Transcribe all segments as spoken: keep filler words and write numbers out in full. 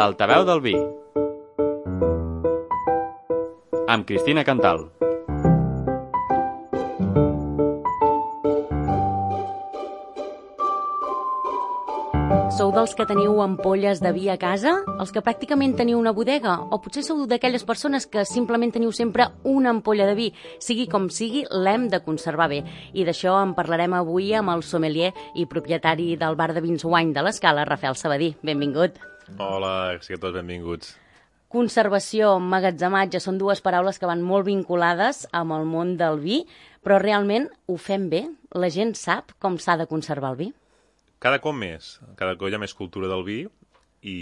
L'altaveu del vi, amb Cristina Cantal. Sou dels que teniu ampolles de vi a casa? Els que pràcticament teniu una bodega? O potser sou d'aquelles persones que simplement teniu sempre una ampolla de vi? Sigui com sigui, l'hem de conservar bé. I d'això en parlarem avui amb el sommelier i propietari del bar de vins Wine de l'Escala, Rafael Sabadí. Benvingut. Hola, sigueu tots benvinguts. Conservació, emmagatzematge, són dues paraules que van molt vinculades amb el món del vi, però realment ho fem bé? La gent sap com s'ha de conservar el vi? Cada cop més, cada cop hi ha més cultura del vi i,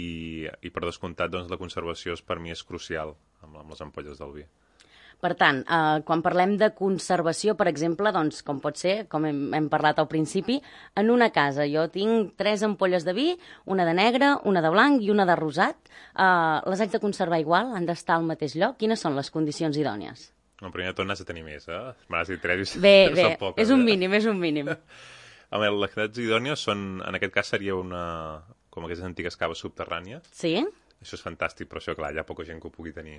i per descomptat doncs, la conservació és, per mi és crucial amb, amb les ampolles del vi. Per tant, eh, quan parlem de conservació, per exemple, doncs, com pot ser, com hem, hem parlat al principi, en una casa jo tinc tres ampolles de vi, una de negre, una de blanc i una de rosat. Eh, les haig de conservar igual? Han d'estar al mateix lloc? Quines són les condicions idònies? No, primer de tot n'has de tenir més, eh? M'has dit tres i bé, bé, són poques, és un eh? mínim, és un mínim. Home, les quantitats idònies són, en aquest cas seria una, com aquestes antigues caves subterrànies. Sí? Això és fantàstic, però això, clar, hi ha poca gent que ho pugui tenir.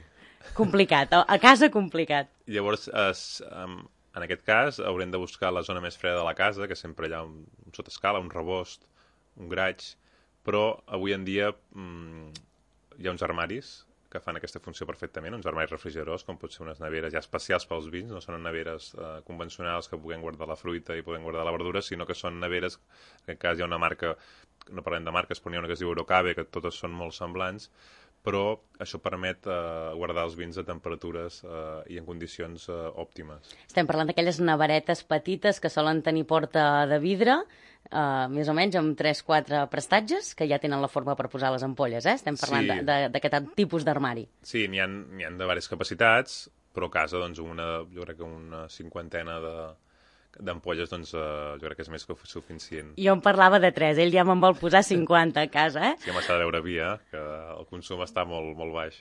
Complicat, a casa complicat. Llavors, es, en aquest cas, haurem de buscar la zona més freda de la casa, que sempre hi ha un, un sotescala, un rebost, un graig, però avui en dia mmm, hi ha uns armaris que fan aquesta funció perfectament, uns armaris refrigeradors, com pot ser unes neveres ja especials pels vins, no són neveres eh, convencionals que puguem guardar la fruita i puguem guardar la verdura, sinó que són neveres, en aquest cas hi ha una marca, no parlem de marques, però n'hi ha una que es diu Eurocabe, que totes són molt semblants, però això permet eh, guardar els vins a temperatures eh, i en condicions eh, òptimes. Estem parlant d'aquelles neveretes petites que solen tenir porta de vidre, eh, més o menys amb tres quatre prestatges, que ja tenen la forma per posar les ampolles, eh? Estem parlant Sí. d'aquest tipus d'armari. Sí, n'hi ha, n'hi ha de diverses capacitats, però a casa, doncs, una, jo crec que una cinquantena de d'ampolles, doncs, eh, jo crec que és més que suficient. Jo en parlava de tres, ell ja me'n vol posar cinquanta a casa, eh? Sí, home, s'ha de veure vi, eh? Que el consum està molt, molt baix.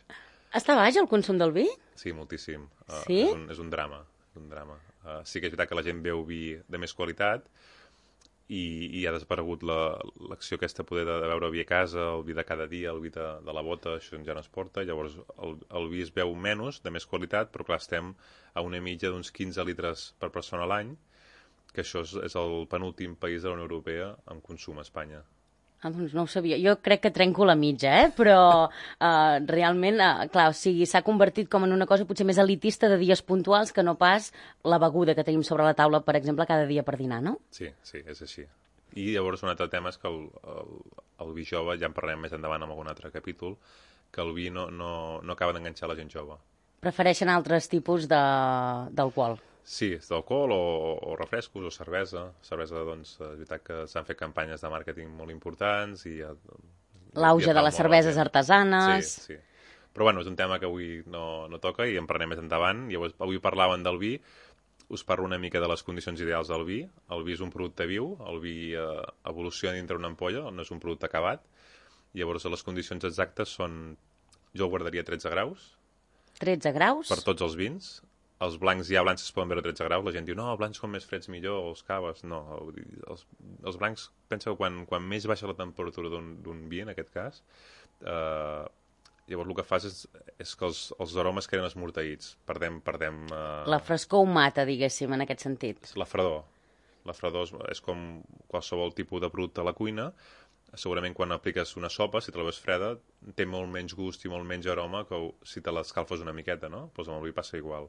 Està baix el consum del vi? Sí, moltíssim. Uh, Sí? És un, és un drama. És un drama. Uh, sí que és veritat que la gent beu vi de més qualitat i, i ha desaparegut la- l'acció aquesta poder de, de beure vi a casa, el vi de cada dia, el vi de, de la bota, això ja no es porta. Llavors el, el vi es beu menys, de més qualitat, però clar, estem a una mitja d'uns quinze litres per persona a l'any, que això és, és el penúltim país de la Unió Europea en consum a Espanya. Ah, doncs no ho sabia. Jo crec que trenco la mitja, eh? Però eh, realment, eh, clar, o sigui, s'ha convertit com en una cosa potser més elitista de dies puntuals que no pas la beguda que tenim sobre la taula, per exemple, cada dia per dinar, no? Sí, sí, és així. I llavors un altre tema és que el, el, el vi jove, ja en parlarem més endavant en algun altre capítol, que el vi no, no, no acaba d'enganxar la gent jove. Prefereixen altres tipus de- d'alcohol. Sí, és d'alcohol o, o refrescos o cervesa. Cervesa, doncs, és veritat que s'han fet campanyes de màrqueting molt importants i... ja- L'auge ja de fa les molt cerveses la gent. artesanes. Sí, sí. Però bueno, és un tema que avui no, no toca i en parlarem més endavant. Llavors, avui parlaven del vi, us parlo una mica de les condicions ideals del vi. El vi és un producte viu, el vi eh, evoluciona dintre una ampolla, no és un producte acabat. Llavors, les condicions exactes són... Jo el guardaria a tretze graus, tretze graus. per tots els vins. Els blancs, ja blancs es poden veure a tretze graus. La gent diu, no, els blancs com més freds millor, o els caves. No, els, els blancs, pensa que quan, quan més baixa la temperatura d'un d'un vi, en aquest cas, eh, llavors el que fas és, és que els, els aromes queden esmorteïts. Perdem, perdem eh, La frescor ho mata, diguéssim, en aquest sentit. la fredor. La fredor és, és com qualsevol tipus de producte a la cuina. Segurament quan apliques una sopa, si te la veus freda, té molt menys gust i molt menys aroma que si te l'escalfes una miqueta, no? Doncs amb el vi passa igual.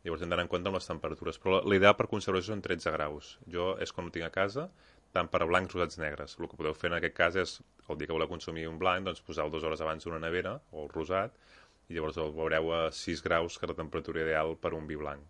Llavors hem d'anar en compte amb les temperatures. Però l'ideal per conservació són tretze graus. Jo és quan ho tinc a casa, tant per a blancs, rosats, negres. El que podeu fer en aquest cas és, el dia que voleu consumir un blanc, doncs poseu dues hores abans d'una nevera, o el rosat, i llavors el veureu a sis graus, que és la temperatura ideal per a un vi blanc.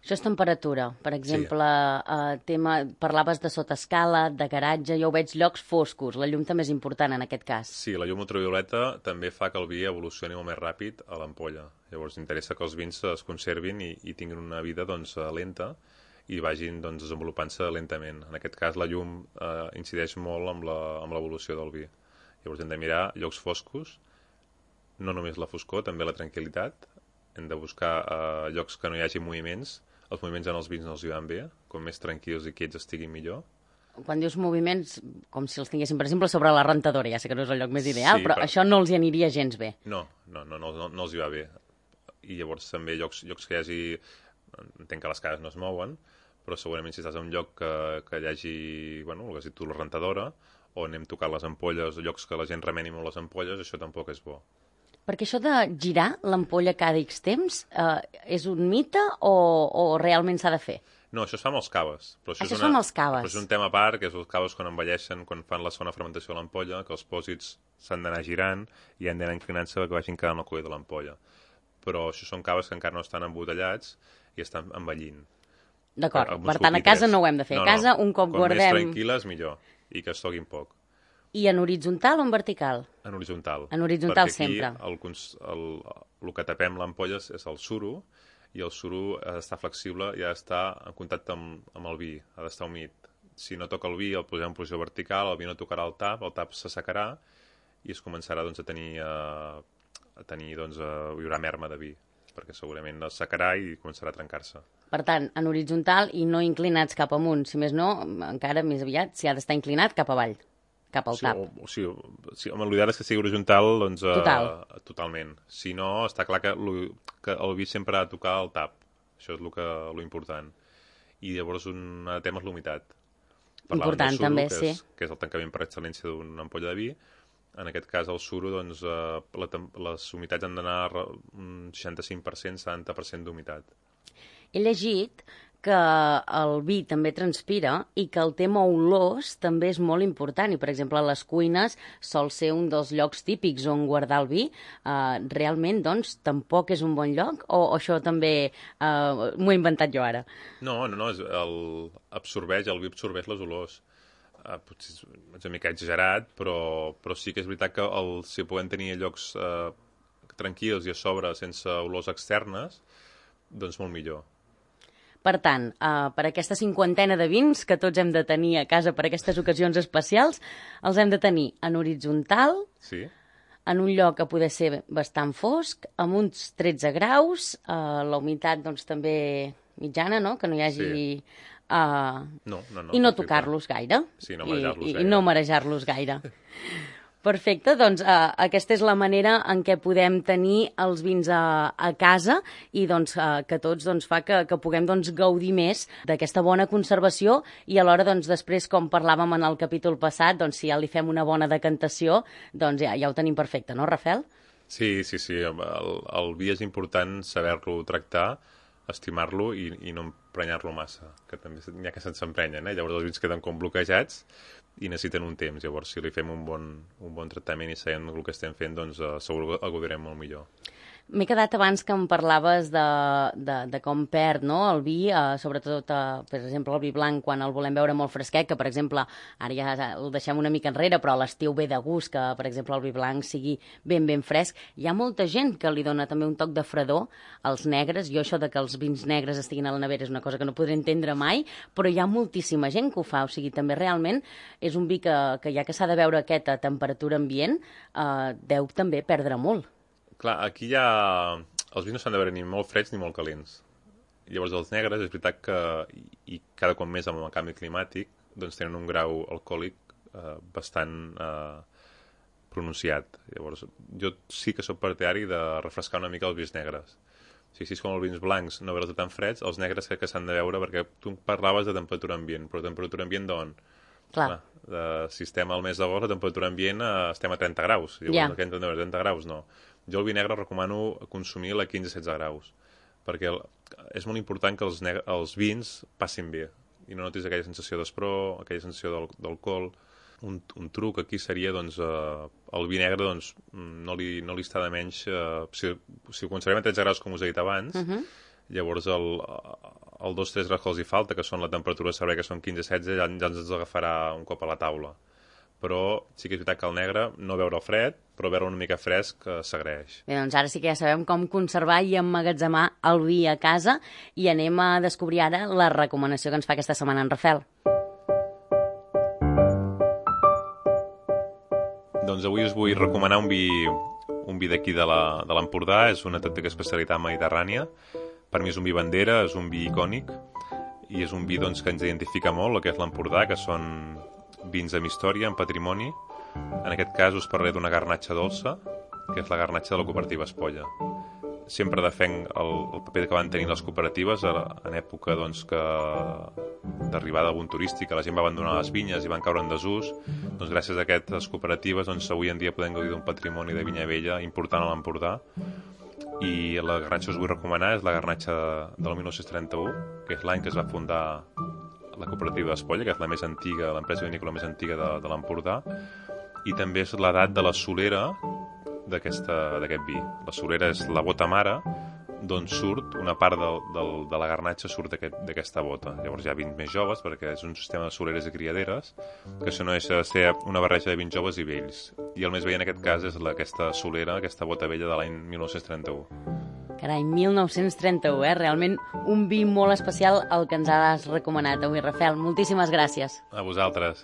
Això és temperatura. Per exemple, eh, tema, parlaves de sotescala, de garatge, jo ho veig llocs foscos. La llum també és important en aquest cas. Sí, la llum ultravioleta també fa que el vi evolucioni molt més ràpid a l'ampolla. Llavors interessa que els vins es conservin i, i tinguin una vida doncs, lenta i vagin doncs, desenvolupant-se lentament. En aquest cas la llum eh, incideix molt amb la- amb l'evolució del vi. Llavors hem de mirar llocs foscos, no només la foscor, també la tranquil·litat. Hem de buscar eh, llocs que no hi hagi moviments. Els moviments en els vins no els hi van bé, com més tranquils i quiets estiguin millor. quan dius moviments, com si els tinguéssim, per exemple, sobre la rentadora, ja sé que no és el lloc més ideal, Sí, però, però- això no els hi aniria gens bé. No, no, no, no, no, no els hi va bé. I llavors també llocs, llocs que hi hagi... Entenc que les cases no es mouen, però segurament si estàs en un lloc que, que hi hagi, bueno, el que has dit tu, la rentadora, o anem tocant les ampolles, llocs que la gent remeni molt les ampolles, això tampoc és bo. Perquè això de girar l'ampolla cada X temps eh, és un mite o, o realment s'ha de fer? No, això es fa amb els caves. Però Això és es una, fa amb els caves. Però és un tema a part, que és els caves quan envelleixen, quan fan la segona fermentació de l'ampolla, que els pòsits s'han d'anar girant i han d'anar inclinant-se perquè vagin quedant al coll de l'ampolla. Però això són caves que encara no estan embotellats i estan envellint. D'acord, Amb uns per tant, a pupitres. casa no ho hem de fer. No, A casa, no. un cop Quan guardem... més tranquil·les, millor. I que es toquin poc. I en horitzontal o en vertical? En horitzontal. En horitzontal Perquè aquí sempre. El, cons- el, el que tapem l'ampolla és, és el suro, i el suro ha d'estar flexible i ha d'estar en contacte amb, amb el vi, ha d'estar humit. Si no toca el vi, el posem en posició vertical, el vi no tocarà el tap, el tap s'assecarà i es començarà doncs, a tenir, eh, a tenir doncs, a, hi haurà merma de vi, perquè segurament es secarà i començarà a trencar-se. Per tant, en horitzontal i no inclinats cap amunt. Si més no, encara més aviat, si ha d'estar inclinat cap avall, cap al Sí, tap. o, o, sigui, sí, home, l'ideal és que sigui horitzontal, doncs, eh, Total. totalment. Si no, està clar que, lo, que el vi sempre ha de tocar el tap. Això és lo, que, lo important. I llavors un altre tema és l'humitat. Parlàvem Important, del suro, també, que sí. És, que és el tancament per excel·lència d'una ampolla de vi. En aquest cas, el suro, doncs, eh, la, tem- les humitats han d'anar a re- un seixanta-cinc per cent, setanta per cent d'humitat. He llegit que el vi també transpira i que el tema olors també és molt important. I, per exemple, a les cuines sol ser un dels llocs típics on guardar el vi. Uh, realment, doncs, tampoc és un bon lloc? O, o això també uh, m'ho he inventat jo ara? No, no, no, és el, absorbeix, el vi absorbeix les olors. Uh, potser és una mica exagerat, però, però sí que és veritat que el, si podem tenir llocs uh, tranquils i a sobre sense olors externes, doncs molt millor. Per tant, uh, per aquesta cinquantena de vins que tots hem de tenir a casa per aquestes ocasions especials, els hem de tenir en horitzontal, Sí? en un lloc que poder ser bastant fosc, amb uns tretze graus, uh, la humitat doncs, també mitjana, no? Que no hi hagi... Sí. Uh, No, no, no. I no perfecte. tocar-los gaire. Sí, no I, marejar-los i, gaire. I no marejar-los gaire. Perfecte, doncs uh, aquesta és la manera en què podem tenir els vins a, a casa i doncs, uh, que tots doncs, fa que, que puguem doncs, gaudir més d'aquesta bona conservació i alhora doncs, després, com parlàvem en el capítol passat, doncs, si ja li fem una bona decantació, doncs ja, ja ho tenim perfecte, no, Rafel? Sí, sí, sí. El, el vi és important saber-lo tractar, estimar-lo i, i no emprenyar-lo massa, que també n'hi ha que se'n s'emprenyen, eh? Llavors els vins queden com bloquejats i necessiten un temps. Llavors, si li fem un bon, un bon tractament i sabem el que estem fent, doncs uh, segur que el gaudirem molt millor. M'he quedat abans que em parlaves de, de, de com perd no, el vi, eh, sobretot, eh, per exemple, el vi blanc, quan el volem veure molt fresquet, que, per exemple, ara ja el deixem una mica enrere, però a l'estiu ve de gust que, per exemple, el vi blanc sigui ben, ben fresc. Hi ha molta gent que li dona també un toc de fredor als negres. Jo això de que els vins negres estiguin a la nevera és una cosa que no podré entendre mai, però hi ha moltíssima gent que ho fa. O sigui, també realment és un vi que, que ja que s'ha de veure aquest a temperatura ambient, eh, deu també perdre molt. Clar, aquí hi ha... Els vins no s'han de veure ni molt freds ni molt calents. Llavors els negres, és veritat que, i cada cop més amb el canvi climàtic, doncs tenen un grau alcohòlic eh, bastant eh, pronunciat. Llavors, jo sí que sóc partidari de refrescar una mica els vins negres. O sigui, si és com els vins blancs, no veure'ls tan freds, els negres crec que s'han de veure, perquè tu parlaves de temperatura ambient, però temperatura ambient d'on? Clar. Clar, de, si estem al mes d'agost, la temperatura ambient eh, estem a trenta graus. Llavors, Ja. yeah. Què hem de veure? trenta graus? No. Jo el vi negre recomano consumir a quinze a setze graus, perquè el, és molt important que els, negre, els vins passin bé i no notis aquella sensació d'espró, aquella sensació d'alcohol. Un, un truc aquí seria, doncs, eh, el vi negre, doncs, no li, no li està de menys... Eh, si, si ho conservem a tretze graus, com us he dit abans, uh -huh. llavors el, el dos tres graus que els hi falta, que són la temperatura de servei, que són quinze a setze, ja, ja ens agafarà un cop a la taula. Però sí que és veritat que el negre, no veure el fred, però veure una mica fresc, eh, s'agraeix. Bé, doncs ara sí que ja sabem com conservar i emmagatzemar el vi a casa i anem a descobrir ara la recomanació que ens fa aquesta setmana en Rafel. Doncs avui us vull recomanar un vi, un vi d'aquí de l'Empordà, és una autèntica especialitat mediterrània. Per mi és un vi bandera, és un vi icònic, i és un vi doncs, que ens identifica molt, el que és l'Empordà, que són vins amb història, amb patrimoni. En aquest cas us parlaré d'una garnatxa dolça, que és la garnatxa de la cooperativa Espolla. Sempre defenc el, el paper que van tenir les cooperatives en època doncs, que d'arribada algun turístic, que la gent va abandonar les vinyes i van caure en desús. Doncs, gràcies a aquestes cooperatives doncs, avui en dia podem gaudir d'un patrimoni de vinya vella important a l'Empordà. I la garnatxa que us vull recomanar és la garnatxa del mil nou-cents trenta-u, que és l'any que es va fundar la cooperativa Espolla, que és la més antiga, l'empresa vinícola més antiga de, de l'Empordà, i també és l'edat de la solera d'aquest vi. La solera és la bota mare, d'on surt una part del, del, de la garnatxa surt d'aquesta aquest, bota. Llavors hi ha vins més joves, perquè és un sistema de soleres i criaderes, que això no deixa de ser una barreja de vins joves i vells. I el més vell en aquest cas és la, aquesta solera, aquesta bota vella de l'any mil nou-cents trenta-u. Carai, mil nou-cents trenta-u, eh? Realment un vi molt especial el que ens has recomanat avui, Rafael. Moltíssimes gràcies. A vosaltres.